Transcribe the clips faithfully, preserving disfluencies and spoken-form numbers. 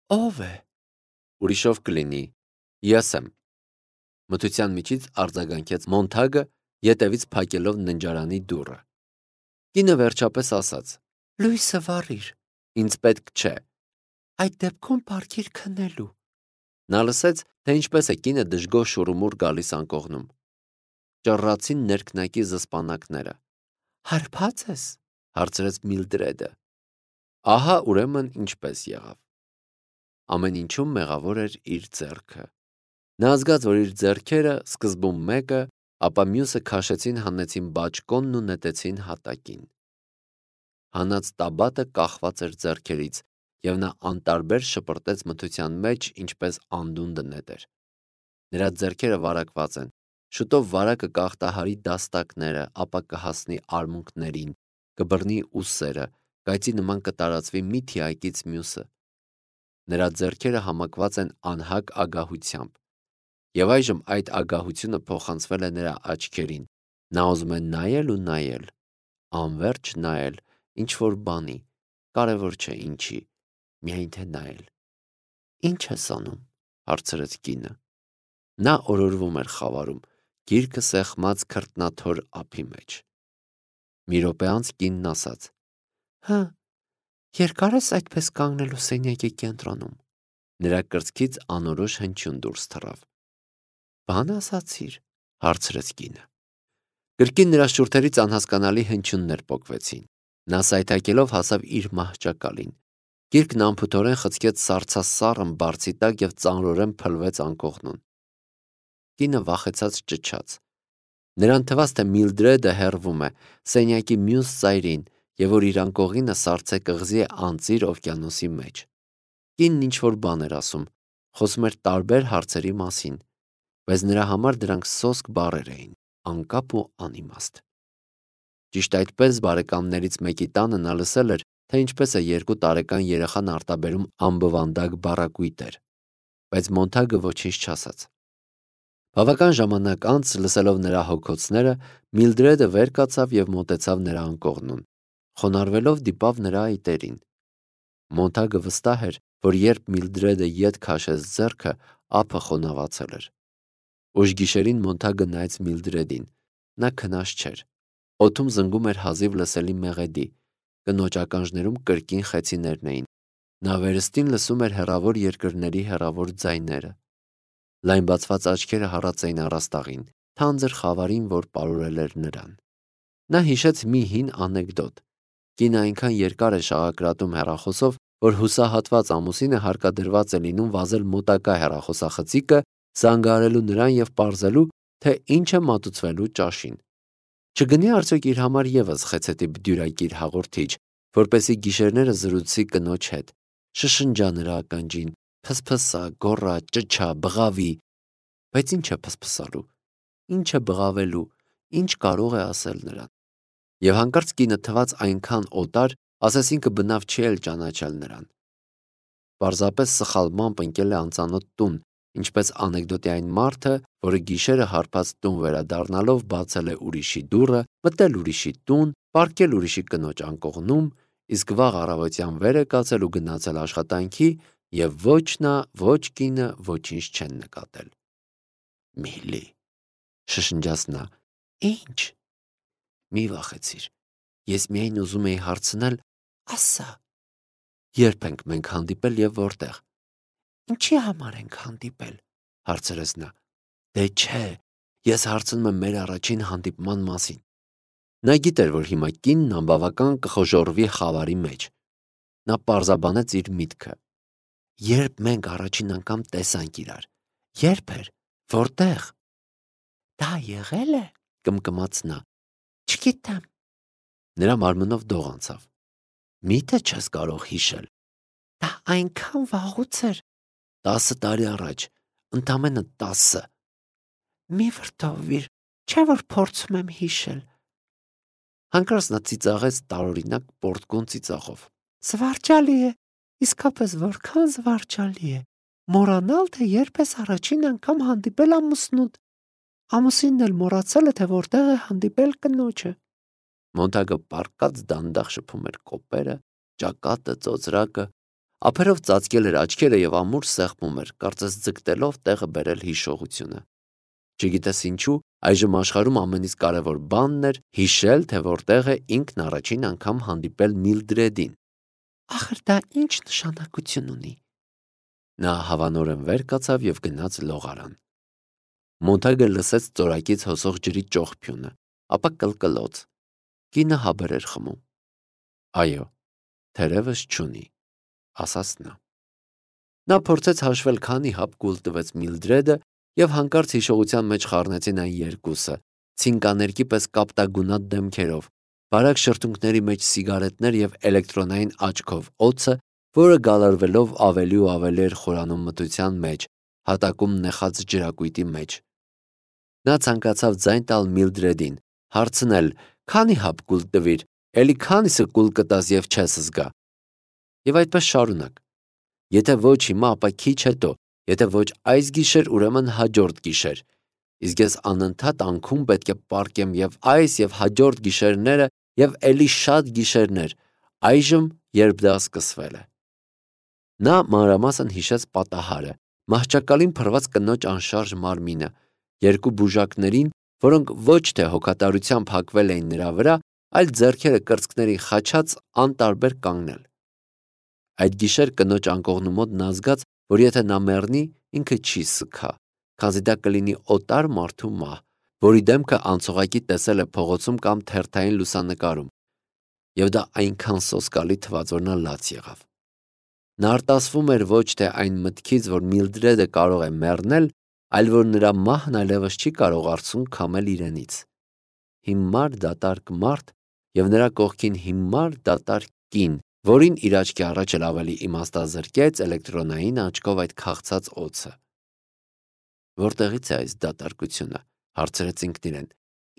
Ո՞վ է։ Ուրիշով կլինի։ Ես եմ։ Մթության միջից արձագանքեց Մոնթագը, ետևից փակելով ննջարանի դուռը։ Կինը վերջապես ասաց. Լույսը վառիր։ Ինձ պետք չէ։ Այդ դեպքում պարգիր քնելու։ Նա լսեց, թե ինչպես է կինը դժգոհ շուռումուռ գալիս անկողնում։ Ճռռացին ներքնակի զսպանակները։ Հարբա՞ծ ես, հարցրեց Միլդրեդը։ Ահա ուրեմն ինչպես եղավ։ Ամեն ինչում մեղավոր էր իր ձեռքը։ Նա զգաց, որ իր ձեռքերը, սկզբում մեկը, ապա մյուսը քաշեցին հանեցին բաճկոնն ու նետեցին հատակին։ Հանած տաբատը կախված էր ձեռքերից, և նա անտարբեր շպրտեց մթության մեջ, ինչպես անդունդը նետեր։ Նրա ձեռքերը վարակված են, շուտով վարակը կախտահարի դաստակները, ապա կհասնի արմունկներին, կբռնի ուսերը, կայծի նման կտարածվի մի թիակից մյուսը։ Նրա ձեռքերը համակված են անհագ ագահությամբ, և այժմ այդ ագահությունը փոխանցվել է նրա աչքերին։ Նա ուզում է նայել ու նայել, անվերջ նայել ինչ-որ բանի, կարևոր չէ ինչի, միայն թե նայել։ Ի՞նչ ես անում, հարցրեց կինը։ Նա օրորվում էր խավարում, գիրկը սեղմած քրտնաթոր ափի մեջ։ Մի րոպե անց կինն ասաց. Հը, երկա՞ր ես այդպես կանգնելու սենյակի կենտրոնում։ Նրա կրծքից անորոշ հնչյուն դուրս թռավ։ Բան ասացիր, հարցրեց կինը։ Կրկին նրա շուրթերից անհասկանալի հնչյուններ պոկվեցին։ Նա սայթաքելով հասավ իր մահճակալին։ Գիրկն անփութորեն խցկեց սառցասառն բարձի տակ և ծանրորեն փլվեց անկողնուն։ Կինը վախեցած ճչաց։ Նրան թվաց, թե Միլդրեդը հեռվում է, սենյակի մյուս ծայրին, և որ իր անկողինը սառցե կղզի է անծիր օվկիանոսի մեջ։ Կինն ինչ-որ բան էր ասում, խոսում էր տարբեր հարցերի մասին, բայց նրա համար դրանք սոսկ բառեր էին, անկապ ու անիմաստ։ Ճիշտ այդպես բարեկամներից մեկի տանը նա լսել էր, թե ինչպես է երկու տարեկան երեխան արտաբերում անբվանդակ բառակույտեր, բայց Մոնթագը ոչինչ չասաց։ Բավական ժամանակ անց, լսելով նրա հոգոցները, Միլդրեդը վեր կացավ և մոտեցավ նրա անկողնուն, խոնարհվելով դիպավ նրա այտերին։ Մոնթագը վստահ էր, որ երբ Միլդրեդը ետ քաշեց ձեռքը, ափը խոնավացել էր։ Ուշ գիշերին Մոնթագը նայեց Միլդրեդին։ Նա քնած չէր։ Օդում զնգում էր հազիվ լսելի մեղեդի, կնոջ ականջներում կրկին խեցիներն էին։ Նա վերստին լսում էր հեռավոր երկրների հեռավոր ձայները։ Լայն բացված աչքերը հառած էին առաստաղին, թանձր խավարին, որ պարուրել էր նրան։ Նա հիշեց մի հին անեկդոտ։ Կինը այնքան երկար է շաղակրատում հեռախոսով, որ հուսահատված ամուսինը հարկադրված է լինում վազել մոտակա հեռախոսախցիկը, զանգահարելու նրան և պարզելու, թե ինչ է մատուցվելու ճաշին։ Չգնի արդյոք իր համար ևս խեցեթի բդյուրակիր հաղորդիչ, որպեսզի գիշերները զրուցի կնոջ հետ, շշնջա նրա ականջին, փսփսա, գոռա, ճչա, բղավի։ Բայց ինչ է փսփսալու, ինչ է բղավելու, ինչ կարող է ասել նրան։ Եվ հանկարծ կինը թվաց այնքան օտար, ասես ինքը բնավ չի էլ ճանաչել նրան։ Պարզապես սխալմամբ ընկել է անծանոթ տուն, ինչպես անեկդոտի այն մարդը, որը գիշերը հարբած տուն վերադառնալով բացել է ուրիշի դուռը, մտել ուրիշի տուն, պառկել ուրիշի կնոջ անկողնում, իսկ վաղ առավոտյան վեր է կացել ու գնացել աշխատանքի, և ոչ նա, ոչ կինը ոչինչ չեն նկատել։ Միլի, շշնջաց նա։ Ինչ։ Մի վախեցիր, ես միայն ուզում էի հարցնել, ասա, երբ ենք մենք հանդիպել և որտեղ։ Ինչի համար ենք հանդիպել, հարցրեց նա։ Դե չէ, ես հարցնում եմ մեր առաջին հանդիպման մասին։ Նա գիտեր, որ հիմա կինն անբավական կխոժոռվի խավարի մեջ։ Նա պարզաբանեց իր միտքը։ Երբ մենք առաջին անգամ տեսանք իրար։ Երբ էր, որտեղ։ Դա եղել է, կմկմաց նա։ Չգիտեմ։ Նրա մարմնով դող անցավ։ Միթե չես կարող հիշել։ Դա այնքան վաղուց էր։ Տասը տարի առաջ, ընդամենը տասը։ Մի վրդովվիր, չէ՞ որ փորձում եմ հիշել։ Հանկարծ նա ծիծաղեց տարօրինակ պոռթկուն ծիծաղով։ Զվարճալի է, իսկապես որքան զվարճալի է։ Մոռանալ, թե երբ ես առաջին անգամ հանդիպել ամուսնուդ։ Ամուսինն էլ մոռացել է, թե որտեղ է հանդիպել կնոջը։ Մոնթագը պառկած դանդաղ շփում էր կոպերը, ճակատը, ծոծրակը, ափերով ծածկել էր աչքերը և ամուր սեղմում էր, կարծես ձգտելով տեղը բերել հիշողությունը։ Չգիտես ինչու, այժմ աշխարհում ամենից կարևոր բանն էր հիշել, թե որտեղ է ինքն առաջին անգամ հանդիպել Միլդրեդին։ Ախր դա ինչ նշանակություն ունի։ Նա հավանորեն վեր կացավ և գնաց լողարան։ Մոնթագը լսեց ծորակից հոսող ջրի ճողփյունը, ապա կլկլոց։ Կինը հաբեր էր խմում։ Այո, թերևս չունի, ասաց նա։ Նա փորձեց հաշվել, քանի հապ կուլ տվեց Միլդրեդը, և հանկարծ հիշողության մեջ խառնեցին այն երկուսը, ցինկաներկի պես կապտագունատ դեմքերով, բարակ շրթունքների մեջ սիգարետներ և էլեկտրոնային աչքով օձը, որը գալարվելով ավելի ու ավելի էր խորանում մթության մեջ, հատակում նեխած ջրակույտի մեջ։ Նա ցանկացավ ձայն տալ Միլդրեդին, հարցնել. «Քանի հապ կուլ տվիր, էլի քանիսը կուլ կտաս և չես զգա»։ Եվ այդպես շարունակ։ Եթե ոչ հիմա, ապա քիչ հետո, եթե ոչ այս գիշեր, ուրեմն հաջորդ գիշեր։ Իսկ ես անընդհատ անքում պետք է պառկեմ և այս և հաջորդ գիշերները և էլի շատ գիշերներ, այժմ, երբ դա սկսվել է։ Նա մանրամասն հիշեց պատահարը, մահճակալին փռված կնոջ անշարժ մարմինը, երկու բուժակներին, որոնք ոչ թե հոգատարությամբ հագվել էին նրա վրա, այլ ձեռքերը կրծքներին խաչած անտարբեր կանգնել։ Այդ գիշեր կնոջ անկողնու մոտ նա զգաց, որ եթե նա մեռնի, ինքը չի սգա, քանզի դա կլինի օտար մարդու մահ, որի դեմքը անցողակի տեսել է փողոցում կամ թերթային լուսանկարում, և դա այնքան սոսկալի թվաց, որ նա լաց եղավ։ Նա արտասվում էր ոչ թե այն մտքից, որ Միլդրեդը կարող է մեռնել, այլ որ նրա մահն այլևս չի կարող արցունք քամել իրենից։ Հիմար դատարկ մարդ և նրա կողքին հիմար դատարկ կին, որին իր աչքի առաջ էլ ավելի իմաստազրկեց էլեկտրոնային աչքով այդ քաղցած օձը։ Որտեղից է այս դատարկությունը, հարցրեց ինքն իրեն։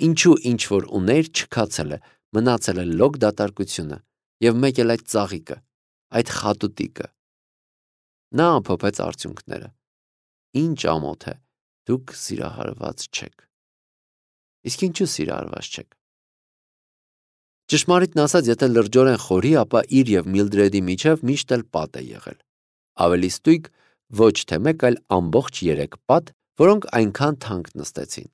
Ինչու ինչ որ ուներ չքացել է, մնացել է լոկ դատարկությունը, և մեկ էլ այդ ծաղիկը, այդ խատուտիկը։ Նա ամփոփեց արդյունքները։ Ինչ ամոթ է, դուք սիրահարված չեք։ Իսկ ինչու սիրահարված չեք։ Ճշմարիտն ասած, եթե լրջորեն խորի, ապա իր և Միլդրեդի միջև միշտ էլ պատ է եղել։ Ավելի ստույգ, ոչ թե մեկ, այլ ամբողջ երեք պատ, որոնք այնքան թանկ նստեցին։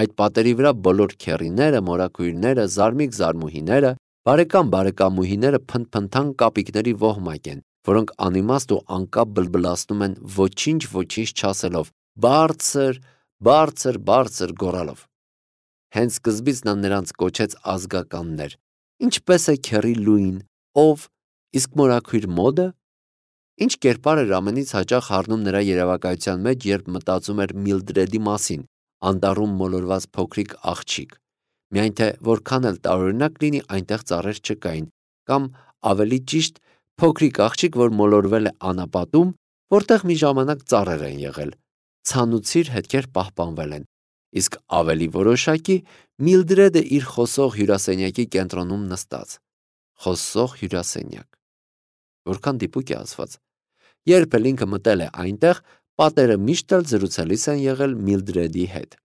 Այդ պատերի վրա բոլոր քեռիները, մորաքույրները, զարմիկ-զարմուհիները, բարեկամ-բարեկամուհիները փնթփնթան կապիկների ոհմակ են, որոնք անիմաստ ու անկապ բլբլացնում են ոչինչ-ոչինչ չասելով, բարձր, բարձր, բարձր գոռալով։ Հենց սկզբից նա նրանց կոչեց ազգականներ։ Ինչպես է քեռի Լուին, ով, իսկ մորաքույր Մոդը։ Ինչ կերպար էր ամենից հաճախ հառնում նրա երևակայության մեջ, երբ մտածում էր Միլդրեդի մասին, անտառում մոլորված փոքրիկ աղջիկ, միայն թե որքան էլ տարօրինակ լինի, այնտեղ ծառեր չկային, կամ ավելի ճիշտ, փոքրիկ աղջիկ, որ մոլորվել է անապատում, որտեղ մի ժամանակ ծառեր են եղել, ցանուցիր հետքեր պահպանվել են, իսկ ավելի որոշակի Միլդրեդը իր խոսող հյուրասենյակի կենտրոնում նստած։ Խոսող հյուրասենյակ։ Որքան դիպուկ է ասված։ Երբ էլ ինքը մտել է այնտեղ, պատերը միշտ էլ զրուցելիս են եղել Միլդրեդի հետ։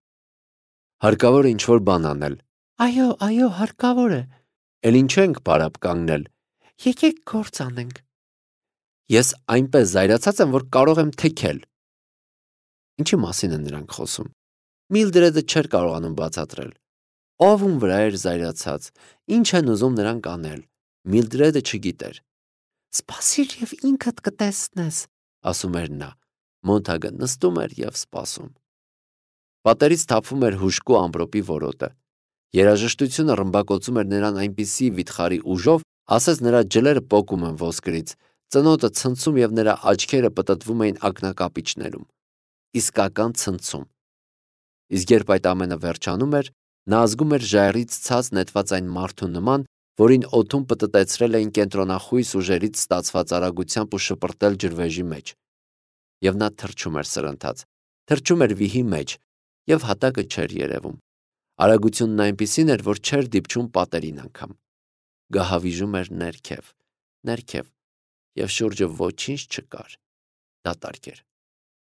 Հարկավոր է ինչ-որ բան անել։ Այո, այո, հարկավոր է։ Էլ ինչու ենք պարապ կանգնել։ Եկեք գործ անենք։ Ես այնպես զայրացած եմ, որ կարող եմ թեքել։ Ինչի մասին են նրանք խոսում։ Միլդրեդը չէր կարողանում բացատրել։ Ով ում վրա էր զայրացած, ինչ են ուզում նրանք անել։ Միլդրեդը չգիտեր։ Սպասիր և ինքդ կտեսնես, ասում էր նա։ Մոնթագը նստում էր և սպասում։ Պատերից թափվում էր հուժկու ամպրոպի որոտը։ Երաժշտությունը ռմբակոծում էր նրան այնպիսի վիթխարի ուժով, ասես նրա ջլերը պոկում են ոսկրից, ծնոտը ցնցում և նրա աչքերը պտտվում էին ակնակապիճներում։ Իսկական ցնցում։ Իսկ երբ այդ ամենը վերջանում էր, նա զգում էր ժայռից ցած նետված այն մարդու նման, որին օդում պտտեցրել էին կենտրոնախույս ուժերից ստացված արագությամբ ու շպրտել ջրվեժի մեջ։ Եվ նա թռչում էր սրընթաց, թռչում էր վիհի մեջ, և հատակը չէր երևում։ Արագությունն այնպիսին էր, որ չէր դիպչում պատերին անգամ։ Գահավիժում էր ներքև, ներքև, և շուրջը ոչինչ չկար։ Դատարկ էր։